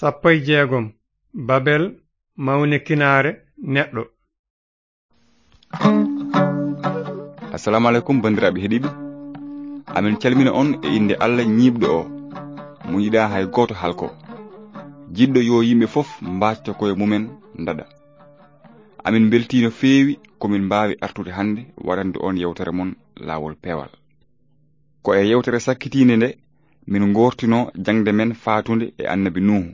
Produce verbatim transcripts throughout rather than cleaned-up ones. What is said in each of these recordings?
Sappo e jeegom. Babel, mawnikinaare neɗɗo. Assalamu alaikum, banndiraaɓe heɗiiɓe. Amin calmina on e innde Allah ñiiɓɗo o, mo yiɗaa hay gooto halko. Jiɗɗo yo yimɓe fof mbaacto koye mumen ndaɗa. Amin mbeltii no feewi ko min mbaawi artude hannde waɗande on yewtere mon Laawol Peewal. Ko e yewtere sakkitiinde nde min ngoortinoo jaŋde men faatunde e Annabi Nuuhu.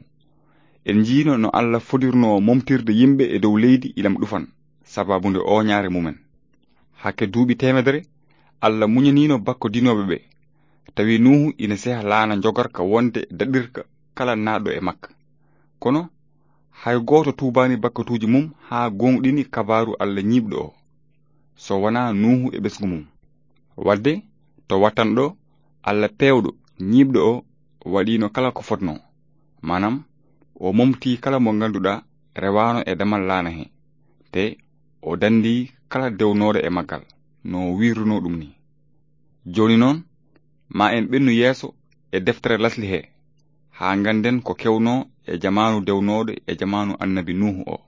En njiino no Allah fodirnoo momtirde yimɓe e dow leydi ilam ɗufan, sababu nde ooñaare mumen. Hakke duuɓi teemedere, Allah muñaniino bakkodinooɓe ɓe, tawi Nuuhu ina seha laana njogarka wonde daɗirka kala naatɗo e makka. Kono, hay gooto tuubaani bakkatuuji mum haa gooŋɗini kabaaru Allah ñiiɓɗo o, so wonaa Nuuhu e ɓesngu mum. Wadde, to wattanɗo, Allah peewɗo, ñiiɓɗo o, waɗiino kala ko fotnoo. Maanaam, o momtii kala mo ngannduɗaa rewaano e damal laana he, te o danndii kala dewnooɗo e maggal, no o wiirunoo ɗum ni. Jooni noon, ma en ɓennu yeeso e deftere lasli he, haa ngannden ko kewnoo e jamaanu dewnooɗo e jamaanu Annabi Nuuhu o.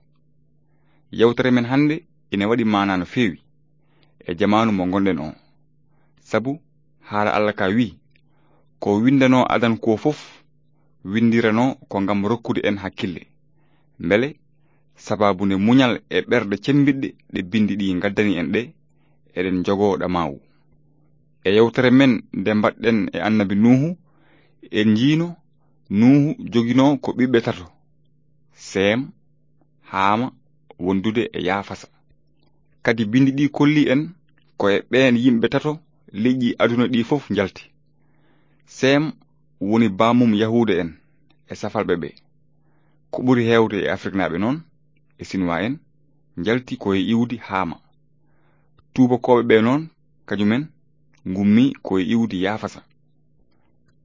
Yewtere men hannde ina waɗi maanaa no feewi e jamaanu mo ngonɗen o. Sabu haala Allah ka wi'i, ko winndanoo adan ko fof, winndiranoo ko ngam rokkude en hakkille. Mbele, sababu nde muñal e ɓerɗe cemmbiɗɗe ɗe binndi ɗi ngaddani en ɗe, eɗen njogoo ɗamaawu. E yewtere men nde mbaɗɗen e Annabi Nuuhu, en njiino Nuuhu joginoo ko ɓiɓɓe tato, Seem, Haama, wondude e Yaafasa. Kadi binndi ɗi kolli en ko e ɓeen yimɓe tato leƴƴi aduna ɗi fof njalti. Seem woni baamum Yahuuda en e safalɓe ɓe. Ko ɓuri heewde e Afriknaaɓe noon, e Sinuwaa en, njalti ko e iwdi Haama. Tuubakooɓe ɓe noon, kañumen, ngummi ko e iwdi Yaafasa.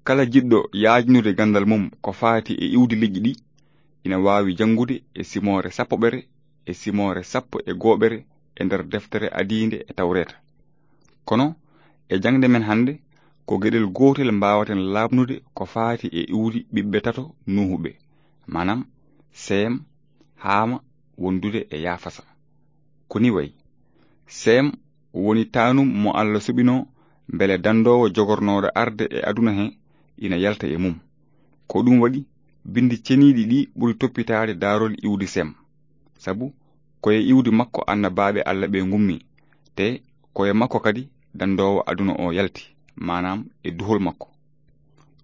Kala jiɗɗo yaajnude ganndal mum ko faati e iwdi leƴƴi ɗi, ina waawi janngude e simoore sappoɓere e simoore sappo e gooɓere e nder deftere adiinde e Tawreeta. Kono, e jaŋde men hannde, ko geɗel gootel mbaawaten laaɓnude ko faati e iwdi ɓiɓɓe tato Nuuhu ɓe, maanaam, Seem, Haama, wondude e Yaafasa. Ko ni wayi. Seem woni taanum mo Allah suɓinoo mbele danndoowo jogornooɗo arde e aduna he ina yalta e mum. Ko ɗum waɗi binndi ceniiɗi ɗi ɓuri toppitaade daarol iwdi Seem. Sabu ko e iwdi makko annabaaɓe Allah ɓe ngummi, te ko e makko kadi danndoowo aduna o yalti, maanaam e duhol makko.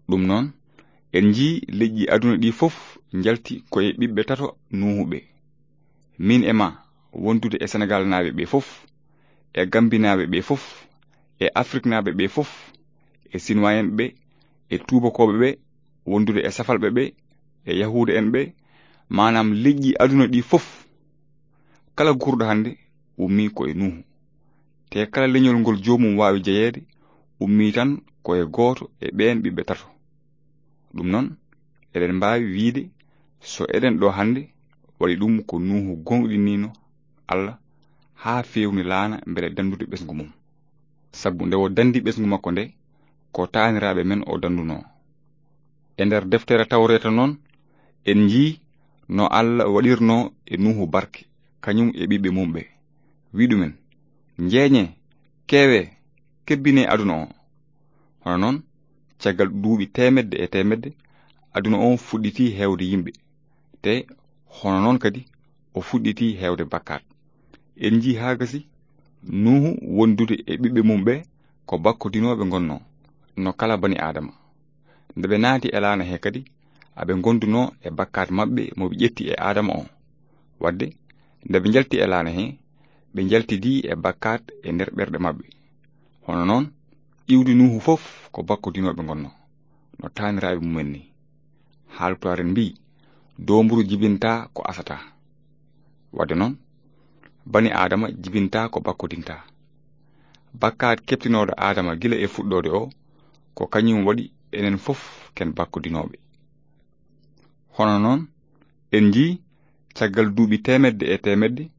Ɗum noon, en njii leƴƴi aduna ɗi fof njalti ko e ɓiɓɓe tato Nuuhu ɓe. Min e ma, wondude e Senegaalnaaɓe ɓe fof, e Gambinaaɓe ɓe fof, e Afriknaaɓe ɓe fof, e Sinuwaa en ɓe, e Tuubakooɓe ɓe, wondude e Safalɓe ɓe, e Yahuuda en ɓe, maanaam leƴƴi aduna ɗi fof. Kala guurɗo hannde ummii ko e Nuuhu. Te kala leñol ngol joomum waawi jeyeede, ummii tan ko e gooto e ɓeen ɓiɓɓe tato. Ɗum noon, eɗen mbaawi wiyde, so eɗen ɗo hannde, waɗi ɗum ko Nuuhu gooŋɗiniino Allah haa feewni laana mbele danndude ɓesngu mum. Sabu nde o danndi ɓesngu makko nde, ko taaniraaɓe men o danndunoo. E nder deftere Tawreeta noon, en njii no Allah waɗirnoo e Nuuhu barke, kañum e ɓiɓɓe mum ɓe. Wi ɗumen, "Njeenyee, keewee, kebbinee aduna o." Hono noon, caggal duuɓi teemedde e teemedde, aduna o fuɗɗitii heewde yimɓe. Te hono noon kadi, o fuɗɗitii heewde bakkaat. En njii haa gasi, Nuuhu wondude e ɓiɓɓe mum ɓe ko bakkodinooɓe ngonnoo, no kala bani Aadama. Nde ɓe naati e laana he kadi, aɓe ngondunoo e bakkaat maɓɓe mo ɓe ƴetti e Aadama o. Wadde, nde ɓe njalti e laana he, ɓe njaltidii e bakkaat e nder ɓerɗe maɓɓe. Hono noon, iwdi Nuuhu fof ko bakkodinooɓe ngonnoo, no taaniraaɓe mumen ni. Haalpulaar en mbii, "Doomburu jibintaa ko asataa." Wadde noon, bani Aadama jibintaa ko bakkodintaa. Bakkaat keɓtinooɗo Aadama gila e fuɗɗoode o, ko kañum waɗi enen fof ken bakkodinooɓe. Hono noon, en njii caggal duuɓi teemedde e teemedde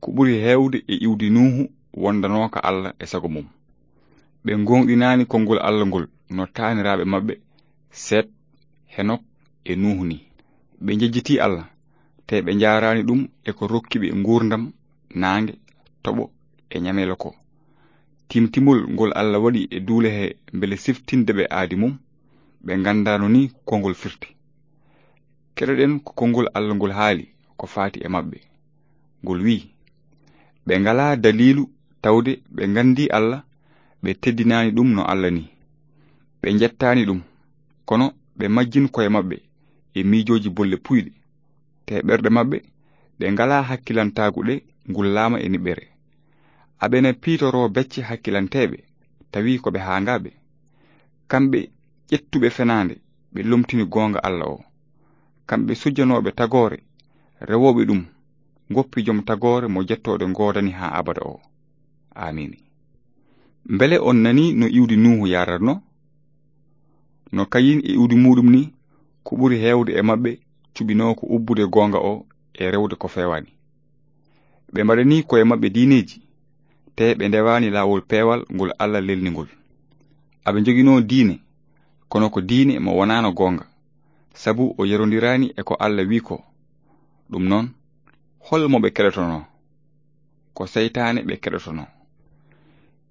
ko ɓuri heewde e iwdi Nuuhu wondanooka Allah e sago mum. Ɓe ngooŋɗinaani konngol Allah ngol no taaniraaɓe maɓɓe Seet, Henok e Nuuhu ni. Ɓe njejjiti Allah, te ɓe njaaraani ɗum e ko rokki ɓe nguurndam, naange, toɓo e ñameelo ko. Timtimol ngol Allah waɗi e duule he mbele siftinde ɓe aadi mum, ɓe nganndaano ni ko ngol firti. Keɗoɗen ko konngol Allah ngol haali ko faati e maɓɓe. Ngol wi'i, ɓe ngalaa daliilu tawde ɓe nganndi Allah, ɓe teddinaani ɗum no Allah ni. Ɓe njettaani ɗum, kono ɓe majjin koye maɓɓe e miijooji bolle puyɗe. Te ɓerɗe maɓɓe, ɗe ngalaa hakkilantaagu ɗe ngullaama e niɓɓere. Aɓe na piitoroo becce hakkilanteeɓe, tawi ko ɓe haangaaɓe. Kamɓe ƴettuɓe fenaande, ɓe lomtini goonga Allah o. Kamɓe sujjanooɓe tagoore, rewooɓe ɗum, ngoppi jom tagoore mo jettooɗe ngoodani haa abada o. Aamiin. Mbele on nani no iwdi Nuuhu yaaratno? No Kayin e iwdi muuɗum ni, ko ɓuri heewde e maɓɓe cuɓinoo ko ubbude goonga o e rewde ko feewaani. Ɓe mbaɗani koye maɓɓe diineeji, te ɓe ndewaani laawol peewal ngol Allah lelni ngol. Aɓe njoginoo diine, kono ko diine mo wonaano goonga, sabu o yerondiraani e ko Allah wi'i ko. Ɗum noon, hol mo ɓe keɗotonoo? Ko seytaane ɓe keɗotonoo.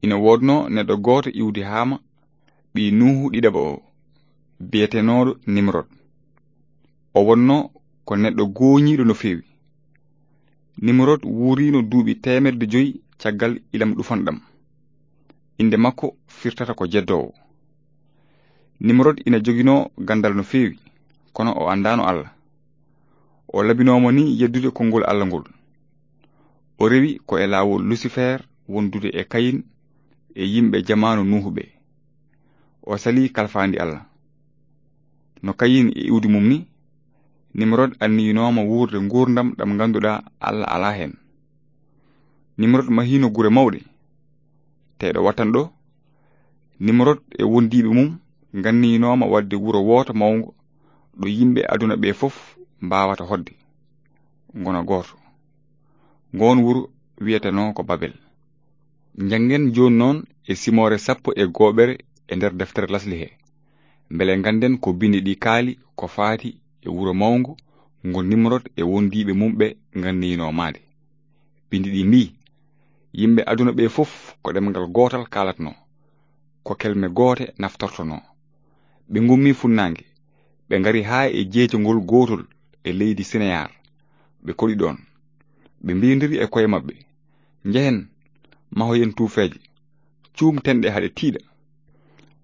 Ina woodnoo neɗɗo gooto iwdi Haama, ɓii Nuuhu ɗiɗaɓo o, biyetenooɗo Nimrod. O wonnoo ko neɗɗo gooñiiɗo no feewi. Nimrod wuuriino duuɓi teemedde joyi caggal ilam ɗufanɗam. Innde makko firtata ko jeddoowo. Nimrod ina joginoo ganndal no feewi, kono o anndaano Allah. O labinooma ni yeddude konngol Allah ngol. O rewi ko e laawol Lusifer wondude e Kayin e yimɓe jamaanu Nuuhu ɓe. O salii kalfaandi Allah. No Kayin e iwdi mum ni, Nimrod anniyinooma wuurde nguurndam ɗam ngannduɗaa Allah alaa heen. Nimrod mahiino gure mawɗe. Te ɗo wattan ɗo, Nimrod e wondiiɓe mum nganniyinooma waɗde wuro wooto mawngo ɗo yimɓe aduna ɓe fof mbaawata hoɗde, ngona gooto. Ngoon wuro wiyetenoo ko Babel. Njanngen jooni noon e simoore sappo e gooɓere e nder deftere lasli he, mbele ngannden ko binndi ɗi kaali ko faati e wuro mawngo ngo Nimrod e wondiiɓe mum ɓe nganniyinoo maande. Binndi ɗi mbii, yimɓe aduna ɓe fof ko ɗemngal gootal kaalatnoo, ko kelme goote naftortonoo. Ɓe ngummi funnaange, ɓe ngari haa e jeejongol gootol e leydi Sineyaar. Ɓe koɗi ɗoon. Ɓe mbiyondiri e koye maɓɓe, njehen, mahoyen tuufeeje, cuumten ɗe haa ɗe tiiɗa.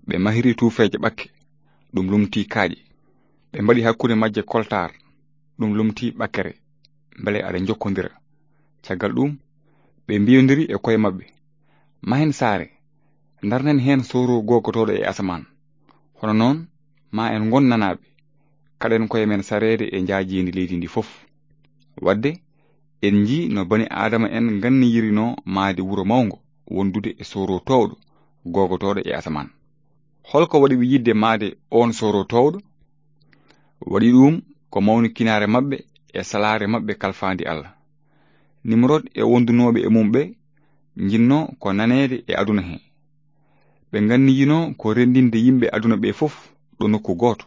Ɓe mahiri tuufeeje ɓakke, ɗum lumtii kaaƴe. Ɓe mbaɗi hakkunde majje koltaar, ɗum lumtii ɓakkere, mbele aɗa njokkondira. Caggal ɗum, ɓe mbiyondiri e koye maɓɓe, mahen saare, ndarnen heen sooro googotooɗo e asamaan. Hono noon, ma en ngon nanaaɓe, kaɗen koye men sareede e njaajeendi leydi ndi fof. Waɗde, en njii no bani Aadama en nganniyirinoo maayde wuro mawngo wondude e sooro toowɗo googotooɗo e asamaan. Holko waɗi ɓe yiɗde maayde oon sooro toowɗo? Waɗi ɗum ko mawnikinaare maɓɓe e salaare maɓɓe kalfaandi Allah. Nimrod e wondunooɓe e mum ɓe njinnoo ko naneede e aduna he. Ɓe nganniyinoo ko renndinde yimɓe aduna ɓe fof ɗo nokku gooto,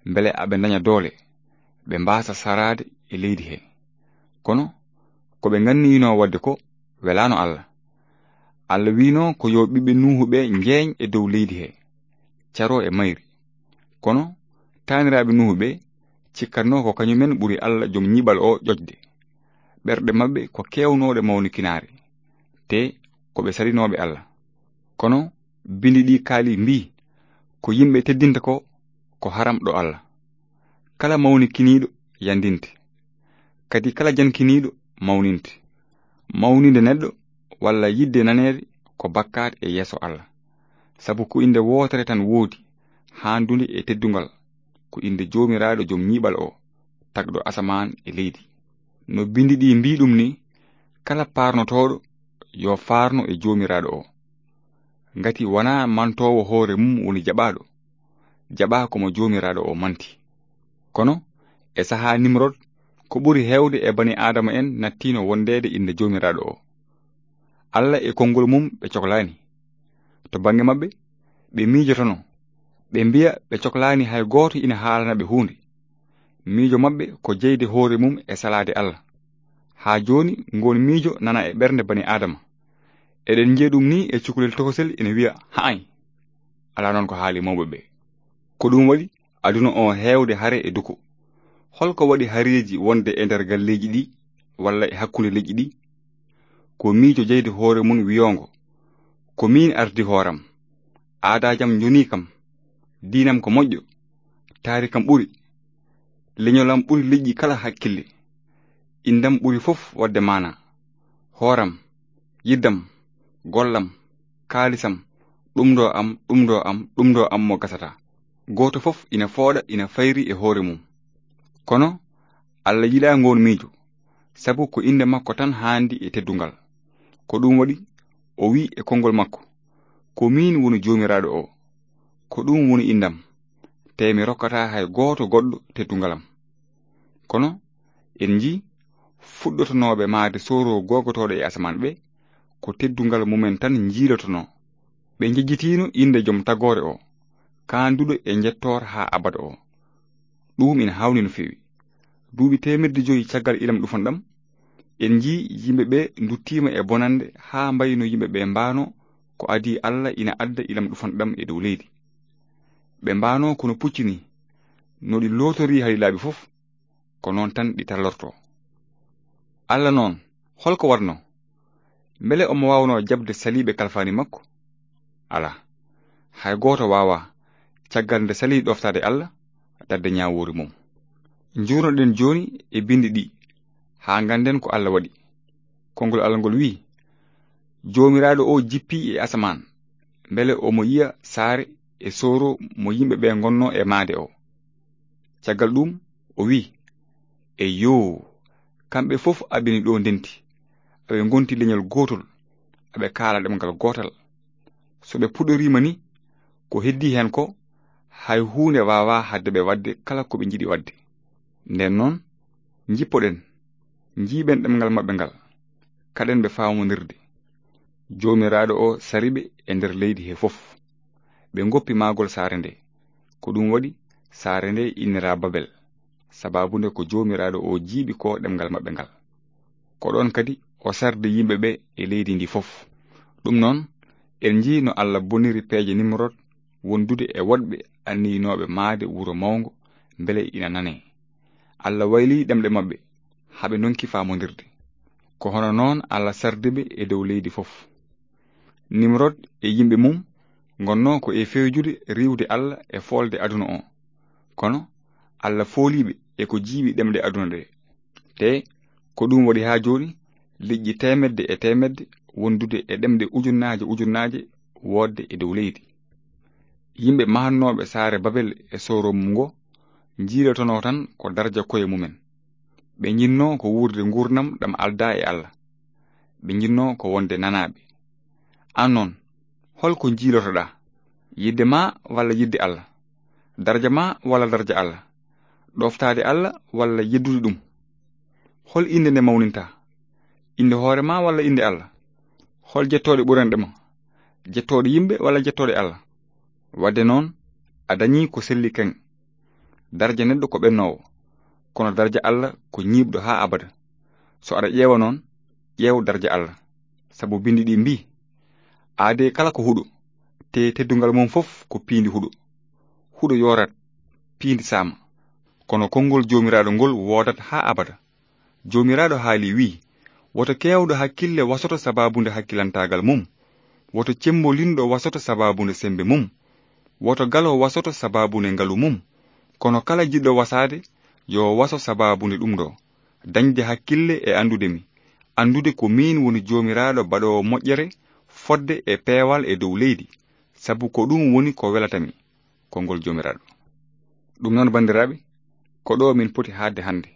mbele aɓe ndaña doole, ɓe mbaasa saraade e leydi he. Kono ko ɓe nganniyinoo waɗde ko welaano Allah. Allah wiinoo ko yo ɓiɓɓe Nuuhu ɓe njeeñ e dow leydi he, caroo e mayri. Kono taaniraaɓe Nuuhu ɓe cikkatnoo ko kañumen ɓuri Allah jom ñiɓal o ƴoƴde. Ɓerɗe maɓɓe ko keewnooɗe mawnikinaare, te ko ɓe saɗinooɓe Allah. Kono binndi ɗi kaali mbii, ko yimɓe teddinta ko, ko haram ɗo Allah. Kala mawnikiniiɗo yandinte. Kadi kala jankiniiɗo mawninte. Mawninde neɗɗo walla yiɗde naneede ko bakkaat e yeeso Allah. Sabu ko innde wootere tan woodi, haandunde e teddungal, ko innde Joomiraaɗo jom ñiiɓal o, tagɗo asamaan e leydi. No binndi ɗi mbii ɗum ni, kala paarnotooɗo yo faarno e Joomiraaɗo o. Ngati wonaa mantoowo hoore mum woni jaɓaaɗo, jaɓaa ko mo Joomiraaɗo o manti. Kono e sahaa Nimrod, ko ɓuri heewde e bani Aadama en nattiino wondeede innde Joomiraaɗo o. Allah e konngol mum ɓe coklaani. To bannge maɓɓe, ɓe miijotono, ɓe mbiya ɓe coklaani hay gooto ina haalana ɓe huunde. Miijo maɓɓe ko jeyde hoore mum e salaade Allah. Haa jooni, ngoon miijo nana e ɓernde bani Aadama. Eɗen njiya ɗum ni e cukalel tokosel ina wiya, "Ha'ay." Alaa noon ko haali mawɓe ɓe. Ko ɗum waɗi aduna o heewde hare e duko. Holko waɗi hareeji wonde e nder galleeji ɗi walla e hakkunde leƴƴi ɗi? Ko miijo jeyde hoore mum wiyoongo, "Ko miin ardi hooram. Aadaajam njonii kam. Diinam ko moƴƴo. Taarikam ɓuri. Leñolam ɓuri leƴƴi kala hakkille. Indam ɓuri fof waɗde maana. Hooram, yiddam, gollam, kaalisam, ɗum ɗo am, ɗum ɗo am, ɗum ɗo am mo gasata." Gooto fof ina fooɗa, ina fayri e hoore mum. Kono Allah yiɗaa ngoon miijo, sabu ko innde makko tan haandi e teddungal. Ko ɗum waɗi o wi'i e konngol makko, "Ko miin woni Joomiraaɗo o. Ko ɗum woni indam, te mi rokkataa hay gooto goɗɗo teddungalam." Kono en njii fuɗɗotonooɓe maayde sooro googotooɗo e asamaan ɓe, ko teddungal mumen tan njiilotonoo. Ɓe njejjitiino innde Joom Tagoore o, kaanduɗo e njettoor haa abada o. Ɗum ina haawni no feewi. Duuɓi teemedde joyi caggal ilam ɗufanɗam, en njii yimɓe ɓe nduttiima e bonannde haa mbayi no yimɓe ɓe mbaano ko adii Allah ina adda ilam ɗufanɗam e dow leydi. Ɓe mbaano kono pucci ni, no ɗi lootorii hali laabi fof, ko noon tan ɗi tallortoo. Allah noon, holko waɗnoo? Mbele omo waawnoo jaɓde saliiɓe kalfaani makko? Alaa. Hay gooto waawaa, caggal nde salii ɗoftaade Allah, daɗde ñaawoore mum. Njuurnoɗen jooni e binndi ɗi, haa ngannden ko Allah waɗi. Konngol Allah ngol wi'i, "Joomiraaɗo o jippii e asamaan, mbele omo yiya saare e sooro mo yimɓe ɓe ngonnoo e maayde o." Caggal ɗum o wi'i, "Eyyoo, kamɓe fof aɓe ni ɗo ndenti, aɓe ngonti leñol gootol, aɓe kaala ɗemngal gootal. So ɓe puɗɗoriima ni, ko heddii heen ko, hay huunde waawaa haɗde ɓe waɗde kala ko ɓe njiɗi waɗde. Ndeen noon, njippoɗen, njiiɓen ɗemngal maɓɓe ngal, kaɗen ɓe faamondirde." Joomiraaɗo o sari ɓe e nder leydi he fof. Ɓe ngoppi mahgol saare nde. Ko ɗum waɗi saare nde innira Babel, sabaabu nde ko Joomiraaɗo o jiiɓi ko ɗemngal maɓɓe ngal. Ko ɗoon kadi o sardi yimɓe ɓe e leydi ndi fof. Ɗum noon, en njii no Allah boniri peeje Nimrod wondude e woɗɓe anniyinooɓe maayde wuro mawngo mbele ina nanee. Allah waylii ɗemɗe maɓɓe, haa ɓe ndonki faamondirde. Ko hono noon Allah sardi ɓe e dow leydi fof. Nimrod e yimɓe mum ngonnoo ko e fewjude riiwde Allah e foolde aduna o. Kono Allah foolii ɓe e ko jiiɓi ɗemɗe aduna ɗe. Te ko ɗum waɗi haa jooni liƴƴi teemedde e teemedde wondude e ɗemɗe ujunnaaje ujunnaaje woodde e dow leydi. Yimɓe mahannooɓe saare Babel e sooro mum ngo njiilotonoo tan ko darja koye mumen. Ɓe njinnoo ko wuurde nguurndam ɗam aldaa e Allah. Ɓe njinnoo ko wonde nanaaɓe. Aan noon, holko njiilotoɗaa? Yidde ma walla yidde Allah? Darja ma walla darja Allah? Ɗoftaade Allah walla yeddude ɗum? Hol innde nde mawninta? Innde hoore ma walla innde Allah? Hol jettooɗe ɓuranɗe ma? Jettooɗe yimɓe walla jettooɗe Allah? Waɗde noon, a dañii ko selli kaŋ. Darja neɗɗo ko ɓennoowo, kono darja Allah ko ñiiɓɗo haa abada. So aɗa ƴeewa noon, ƴeew darja Allah. Sabu binndi ɗi mbii, "Aadee kala ko huɗo, te teddungal mum fof ko piindi huɗo. Huɗo yoorat, piindi saama." Kono konngol Joomiraaɗo ngol woodat haa abada. Joomiraaɗo haali wi'i, "Woto keewɗo hakkille wasoto sabaabu nde hakkilantaagal mum. Woto cemmbolinɗo wasoto sabaabu nde semmbe mum. Woto galo wasoto sabaabu nde ngalu mum. Kono kala jiɗɗo wasaade, yo waso sabaabu nde ɗum ɗo, dañde hakkille e anndude mi, anndude ko miin woni Joomiraaɗo baɗoowo moƴƴere fodde e peewal e dow leydi, sabu ko ɗum woni ko welata mi." Konngol Joomiraaɗo. Ɗum noon, banndiraaɓe, ko ɗo min poti haaɗde hannde.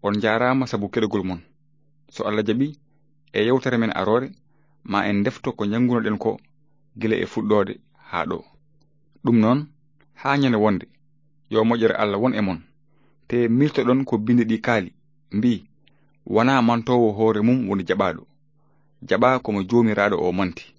On njaaraama sabu keɗogol mon. So Allah jaɓi, e yewtere men aroore, ma en ndefto ko njanngunoɗen ko gila e fuɗɗoode haa ɗo. Ɗum noon, haa ñande wonde, yo moƴƴere Allah won e mon. Te miiltoɗon ko binndi ɗi kaali, mbii, "Wonaa mantoowo hoore mum woni jaɓaaɗo. Jaɓaa ko mo Joomiraaɗo o manti."